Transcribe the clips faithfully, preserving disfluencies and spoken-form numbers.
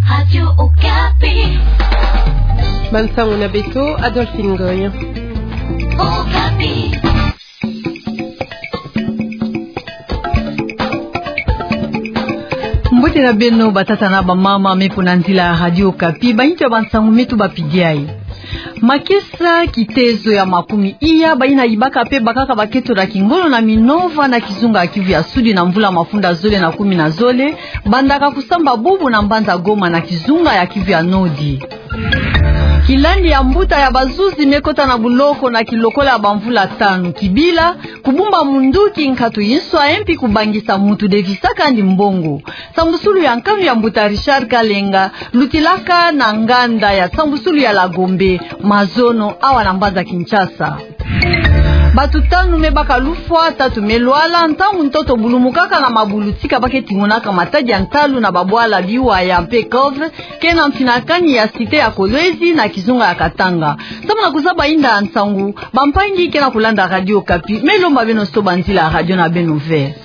Radio Okapi. Bansangu na beto, Adolphine Ngoy. Okapi. Mbote na beno, batata na bamama, me mpo na nzila ya Radio Okapi, bayindu ya bansangu me tubapidi ayi. Makesa kitezo ya makumi iya bayina yibaka pe bakaka bakento na kingolo na Minova na kizunga ya Kivu ya Sudi na mvula mafunda zole na kumi na zole, bandaka kusamba bubu na mbanza Goma na kizunga ya Kivu ya Nodi. Kilandi ya mbuta ya bazuzi me kota na buloko na kilokola ya bamvula tanu. Kibila, kubumba munduki nkatu yinso, e mpi kubangisa muntu devisaka ndi mbongo. Sambusulu ya nkanu ya mbuta Richard Kalenga lutilaka na nganda ya sambusulu ya La Gombe, mazono awa na mbanza Kinshasa. Batu tanu me baka lufwa, tatu me lwala, ntangu ntoto bulumukaka na mabulutika ba ke tingonaka matadi ya ntalu na babwala Biwaya mpe Cove, ke na mfinakani ya cité ya Kolwezi na kizunga ya Katanga. Samu na kuzaba inda ya nsangu, bampangi ke na kulanda Radio Okapi, me lomba beno soba nzila ya radio na beno ve.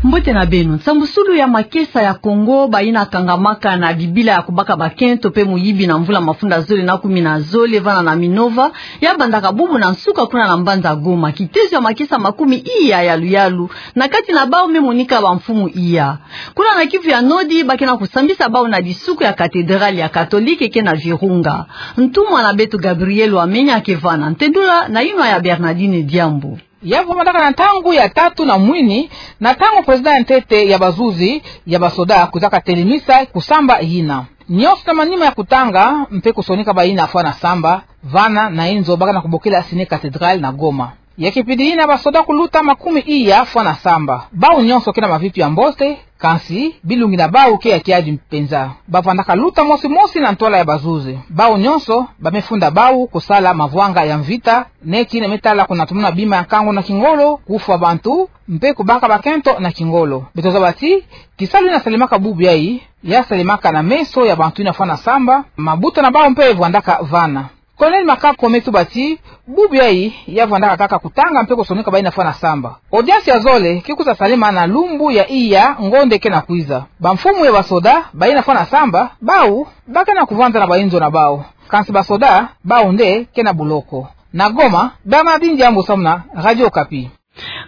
Mbote na beno. Nsambusulu ya makesa ya Kongo, bayina kangamaka na bibila ya kubaka bakento mpe muyibi na mvula mafunda zole na kumi na zole vana na Minova, ya bandaka bubu na nsuka kuna na mbanza Goma. Kitezo ya makesa makumi iya ya luyalu na kati na bawu me monika bamfumu iya. Kuna na Kivu ya Nodi, ba ke na kusambisa bawu na disuku ya cathédrale ya Katolike ke na Virunga. Ntumwa na beto Gabriel Wamenya ke vana. Ntendula na yinwa ya Bernardine Diambu. Ya vandaka na ntangu ya tatu na mwini, na ntangu président ya ntete ya bazuzi ya basoda kwiza katelemisa kusamba yina. Nyonso na manima ya kutanga mpe kusonika bayina fwana samba, vana na inzo ba ke na kubokila Ciné Cathédrale na Goma. Ya kipidi yina basoda kuluta makumi iya fwana samba. Bawu nyonso ke na mavitu ya mbote, kansi bilungi na bawu ke ya kiadi mpenza. Ba vandaka luta mosi mosi na ntwala ya bazuzi. Bawu nyonso ba me funda bawu kusala mavwanga ya mvita, neti na me tala kuna tumona bima ya nkangu na kingolo, kufwa bantu, mpe kubaka bakento na kingolo. Beto zaba ti, kisalu yina salemaka bubu yayi, ya salemaka na meso ya bantu yina fwana samba, mabuta na bawu mpe vandaka vana. Colonel Makako me tuba ti, bubu yayi ya vandaka kaka kutanga mpe kusonika bayina fwana samba. Audience ya zole ke kwiza salema na lumbu ya iya ngonde ke na kwiza. Bamfumu ya basoda, bayina fwana samba, bawu ba ke na kuvanda na bayinzo na bawu. Kansi basoda, bawu nde ke na buloko. Na Goma, Bernardine Diambu samu na Radio Okapi.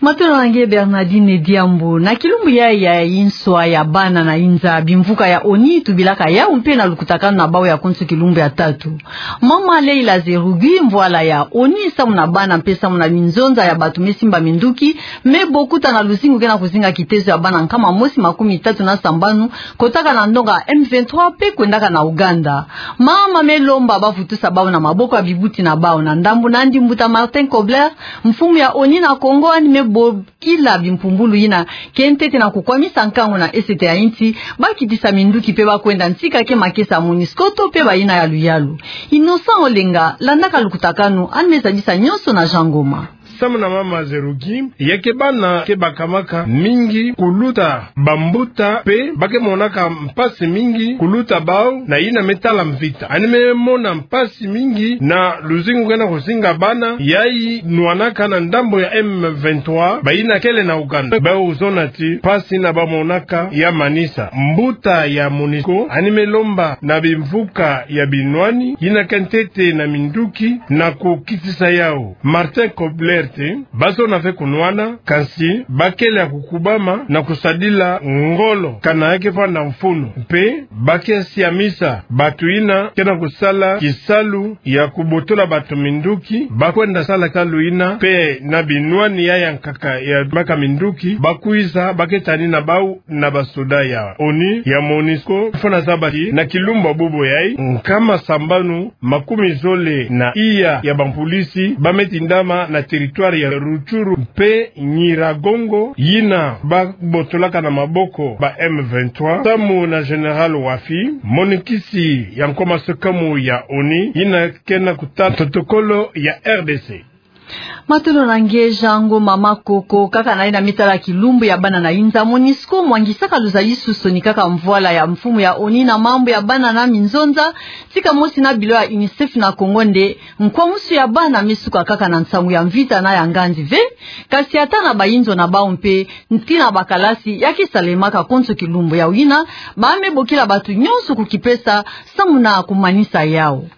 Matondo na nge Bernardine Diambu. Na kilumbu yayi ya yinswa ya bana na inza, bimvuka ya ONI tubilaka yawu mpe na lukutakanu na bawu ya konso kilumbu ya tatu. Mama Leila Zerugi, mvwala ya ONI samu na bana mpe samu na minzonza ya batu me simba minduki, me bokuta na luzingu ke na kuzinga kitezo ya bana nkama mosi makumi tatu na sambanu, kotaka na ndonga M vingt-trois mpe kwendaka na Ouganda. Mama me lomba ba vutusa bawu na maboko ya bibuti na bawu. Na ndambu nandi mbuta Martin Kobler, mfumu ya ONI na Kongo, yandi me bokila bimpumbulu yina ke ntete na kukwamisa nkangu na esete ya insi, ba kitisa minduki mpe ba kwenda ntika ke makesa ya MONUSCO to mpe bayina ya luyalu. Innocent Olenga, landaka lukutakanu, yandi me zabisa nyonso na Jean Ngoma. Samu na mama Zerugi, ya ke bana ke bakamaka mingi kuluta bambuta mpe ba ke monaka mpasi mingi kuluta bawu na yina me tala mvita. Yandi me mona mpasi mingi na luzingu ke na kuzinga bana yayi nwanaka na ndambu ya M vingt-trois, bayina kele na Ouganda. Bawu zona ti mpasi yina ba monaka ya manisa. Mbuta ya MONUSCO yandi me lomba na bimvuka ya binwani yina ke ntete na minduki na kukitisa yawu. Martin Kobler te, ba zona ve kunwana, kansi ba kele ya kukubama na kusadila ngolo kana ya ke vanda mfunu. Mpe ba ke siamisa batu yina ke na kusala kisalu ya kubotola batu minduki, ba kwenda sala kisalu yina mpe na binwani ya yankaka ya maka minduki, ba kwiza, ba ke tani na bawu na basoda ya ONI, ya MONUSCO. Fwana zaba ti na kilumbu bubu yayi, nkama sambanu makumi zole na iya ya bampulisi ba me tindama na territoire ya Rutshuru mpe Nyiragongo, yina ba botolaka na maboko ba M vingt-trois, samu na Général Wafi, monikisi ya nkoma sekamu ya ONI, yina ke na kutala protocole ya R D C. Matondo na nge Jean Ngoma Makoko. Kaka na yina me tala kilumbu ya bana na inza, MONUSCO mwangisaka luzayisuso ni kaka mvwala ya mfumu ya ONU na mambu ya bana na minzonza, tika mosi na bilo ya UNICEF na Kongo nde nkwamusu ya bana me suka kaka na nsangu ya mvita na ya nganzi ve, kasi ata na bayinzo na bau mpe, nti na bakalasi ya ke salemaka konso kilumbu. Yau yina, ba me bokila batu nyonso kukipesa samu na kumanisa yau.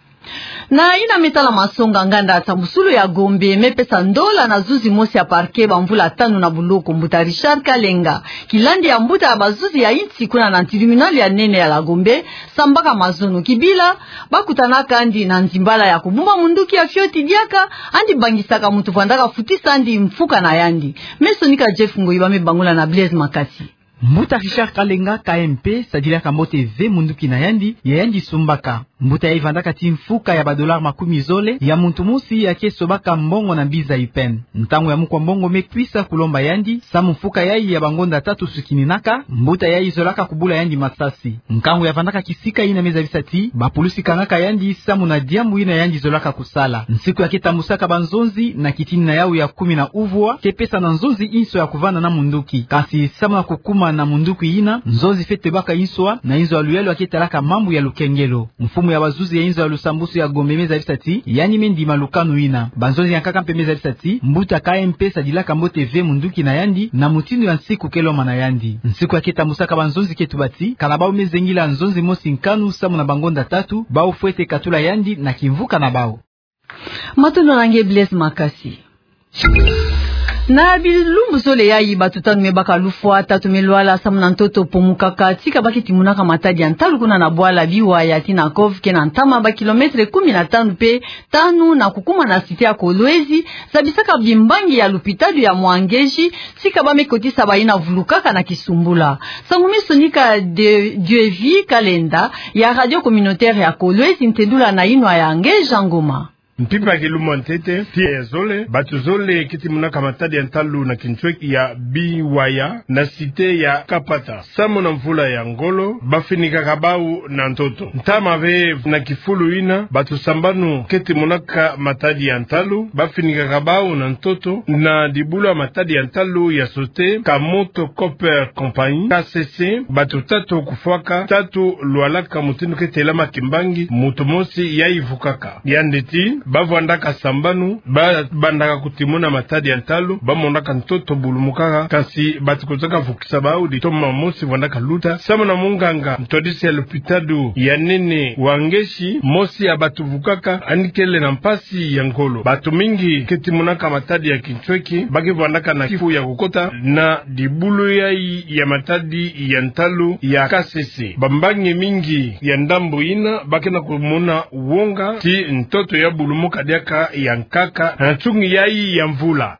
Na yina me tala masonga, nganda ya nsambusulu ya Gombe me pesa ndola na zuzi mosi ya parquet bamvula tanu na buloko, mbuta Richard Kalenga, kilandi ya mbuta ya bazuzi ya insi kuna na tribunal ya nene ya la Gombe, sambaka mazono kibila ba kutanaka yandi na nzimbala ya kubumba munduki ya fioti diaka, yandi bangisaka muntu vwandaka futisa yandi mfuka na yandi. Me sonika Jeff Ngoyi, ba me bangula na Blaise Makasi. Mbuta Richard Kalenga, K M P, sadilaka mbote ve munduki na yandi, ya yandi sumbaka. Mbuta yayi vandaka ti mfuka ya ba dollars makumi zole ya muntu mosi ya ke sobaka mbongo na mbi za U P N. Ntangu ya mukwa mbongo me kwisa kulomba yandi, samu mfuka yayi ya bangonda tatu sukininaka, mbuta yayi zolaka kubula yandi masasi. Nkangu ya vandaka kisika yina me zabisa ti bapulusi kangaka yandi samu na diambu yina yandi zolaka kusala. Nsiku ya ke tambusaka banzonzi na kitinina yau ya kumi na uvwa, ke pesa na nzonzi inso ya kuvanda na munduki. Kansi samu na kukuma na munduki yina, nzonzi fwete baka inso na inzo ya luyalu ya ke talaka mambu ya lukengelo. Mfumu ya bazuzi ya inzo ya lusambusu ya Gombe me zabisa ti yandi me ndima lukanu yina. Banzonzi ya nkaka mpe me zabisa ti mbuta K M P sadilaka mbote ve munduki na yandi na mutindu ya nsiku ke lomana yandi. Nsiku ya ke tambusaka banzonzi ke tuba ti kana bau me zengila nzonzi mosi nkanu samu na bangonda tatu, bau fwete katula yandi na kimvuka na bau. Matondo na nge Blaise Makasi. Na bilumbu zole yayi, batu tanu me baka lufwa, tatu me lwala samu na ntoto pomukaka tika ba ke timonaka matadi ya ntalu kuna na bwala Biwaya tii na Kov, ke na ntama ba kilomètre kumi na tanu mpe tanu na kukuma na cité ya Kolwezi, zabisaka bimbangi ya lupitalu ya Mwangeji, tika ba me kotisa bayina vulukaka na kisumbula. Nsangu me sonika de Dieuvi Kalenda ya radio communautaire ya Kolwezi, ntendula na yinwa ya nge Jean Ngoma. Mpimpa ya kilumbu ya ntete tii ya zole, batu zole ke timonaka matadi ya ntalu na kintweki ya Biwaya na cité ya Kapata, samu na mvula ya ngolo, ba finikaka bau na ntoto. Ntama ve na kifulu yina, batu sambanu ke timonaka matadi ya ntalu, ba finikaka bau na ntoto na dibulu ya matadi ya ntalu ya sote Kamoto Copper Company, K C C, batu tatu kufwaka, tatu lwalaka mutindu ke telama kimbangi, muntu mosi yayi vukaka. Yandi tii ba vwandaka sambanu, ba bandaka kutimona matadi ya ntalu, ba monaka ntoto bulumukaka, kansi bati kozaka vukisa bau, ditoma mosi vwandaka luta. Samu na munganga ntwadisi ya lupitalu ya nene wa Ngeshi, mosi ya batu vukaka yandi kele na mpasi ya ngolo. Batu mingi ke timonaka matadi ya kintweki ba ke vwandaka na kifu ya kukota na dibulu yayi ya matadi ya ntalu ya K C C. Bambangi mingi ya ndambu yina ba ke na kumona wonga ti ntoto ya bulumuka diaka ya nkaka na nsungi yayi ya mvula.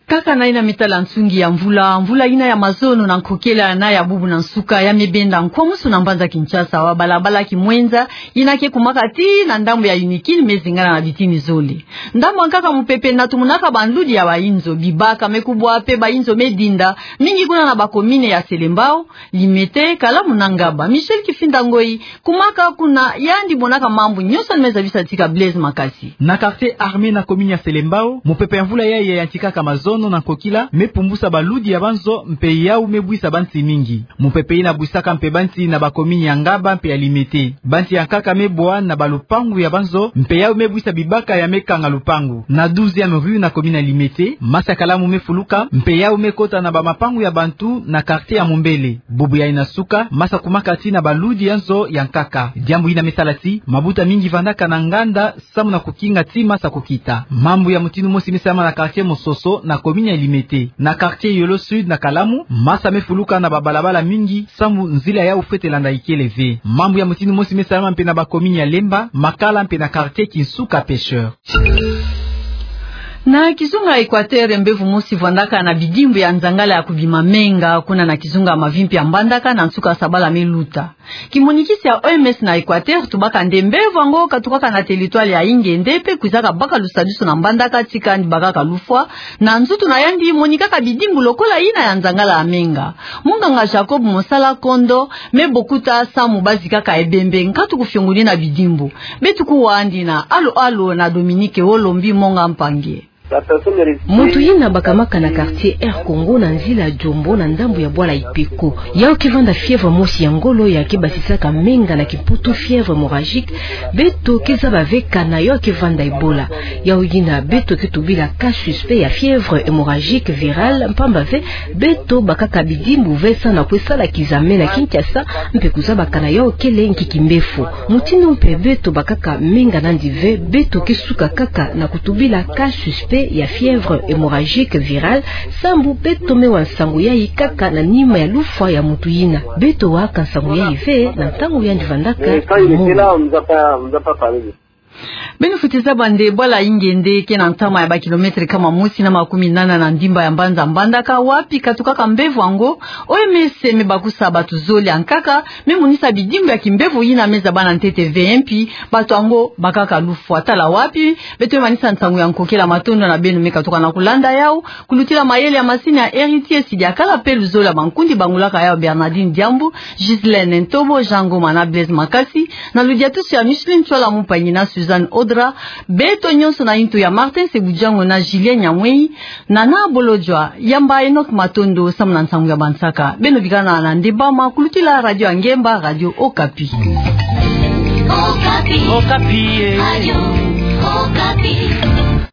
Kaka na yina me tala nsungi ya mvula, mvula yina ya mazono na nkokela na ya bubu na nsuka ya me benda nkwamusu na mbanza Kinshasa, wa balabala Kimwenza, yina ke kumaka tii na ndambu ya Unikin, me zingana na bitini zole. Ndambu ya nkaka, mupepe na tumunaka banludi ya bayinzo, bibaka me kubwa mpe bayinzo me dinda, mingi kuna na ba commune ya Selembao, Limete, Kalamu na Ngaba. Michel Kifinda Ngoyi, kumaka kuna, yandi monaka mambu nyonso yandi me zabisa tika Blaise Makasi. Na quartier Armée na commune ya Selembao, mupepe ya mvula yayi ya yantikaka mazono na nkokila me pumbusa baludi ya banzo, mpe yau me bwisa bansi mingi. Mupepe yina bwisaka mpe bansi na ba commune ya Ngaba mpe ya Limete. Bansi ya nkaka me bwa na balupangu ya banzo, mpe yau me bwisa bibaka ya me kanga lupangu. Na douzième rue na commune ya Limete, masa ya Kalamu me fuluka, mpe yau me kota na bamapangu ya bantu na quartier ya Mombele. Bubu yayi na suka, masa kumaka tii na baludi ya nzo ya nkaka. Diambu yina me sala tii mabuta mingi vandaka na nganda, samu na kukinga tii masa kukita. Mambu ya mutindu mosi me salama na quartier Mososo na commune ya Limete. Na quartier Yolo Sud na Kalamu, masa me fuluka na babalabala mingi, samu nzila yau fwete landa ikele ve. Mambu ya mutindu mosi me salama mpe na ba commune ya Lemba, Makala mpe na quartier Kinsuka Pêcheur. Na kizunga Equateur, mbevo mosi vwandaka na bidimbu ya nzangala ya kubima menga kuna na kizunga Mavimpi ya Mbandaka na nsuka sabala me luta. Kimonikisi ya O M S na Equateur tubaka nde mbevo yango katukaka na territoire ya Ingende mpe kwizaka baka lusadusu na Mbandaka tika yandi bakaka lufwa, na nzutu na yandi monikaka bidimbu lokola yina ya nzangala ya menga. Monganga Jacob Mosala Kondo me bokuta samu bazikaka ebembe nkatu kufiongunina bidimbu. Beto kuwa yandi na alo alo na Dominique Wolombi Monga Mpangi. Muntu yina bakamaka na quartier Air Congo na nzila Djombo na ndambu ya bwala Ipeko. Yau ke vanda fièvre mosi ya ngolo ya ke basisaka menga na Kimputu, fièvre hémorragique. Beto ke zaba ve kana yau ke vanda Ebola. Yau yina beto ke tubila cas suspect ya fièvre hémorragique virale, mpamba ve beto bakaka bidimbu ve sa na kwe sala kizame na Kinshasa, mpe kuzaba kana yau kele nki kimbefo. Mutindu mpe beto bakaka menga nandi ve, beto ke suka kaka na kutubila cas suspect ya fièvre hémorragique virale, sambu beto me wa nsangu yayi kaka na nima ya lufwa ya muntu yina. Beto waka nsangu yayi ve na ntangu yandi vandaka mongo. Beno fweti zaba nde bwala Ingende ke na ntama ya ba kilomètre kama mosi na makumi nana na ndimba ya mbanza Mbandaka, wapi katukaka mbevo yango. O M S me bakusa bato zole ya nkaka, me monisa bidimbu ya kimbevo yina me zaba na ntete ve, mpi bato yango bakaka lufwa. Tala wapi beto me manisa nsangu ya nkokela. Matondo na beno me katuka na kulanda yau. Kulutila mayele ya masini ya Héritier Sidiakala mpe luzolo ya bankundi bangulaka yau Bernardine Diambu, Ghislaine Ntobo, Jean Ngoma na Blaise Makasi, na ludiatusu ya Micheline Tchwala Mumpangi na Suzanne Odra, beto nyonso na intu ya Martin Sebujango na Julien Nyamwei, Nana Bolodjwa, yamba Enoch Matondo samu na nsangu ya bansaka. Beno bikana na ndembama kulutila radio ya ngemba, Radio Okapi. Okapi. Okapi, eh. Radio Okapi.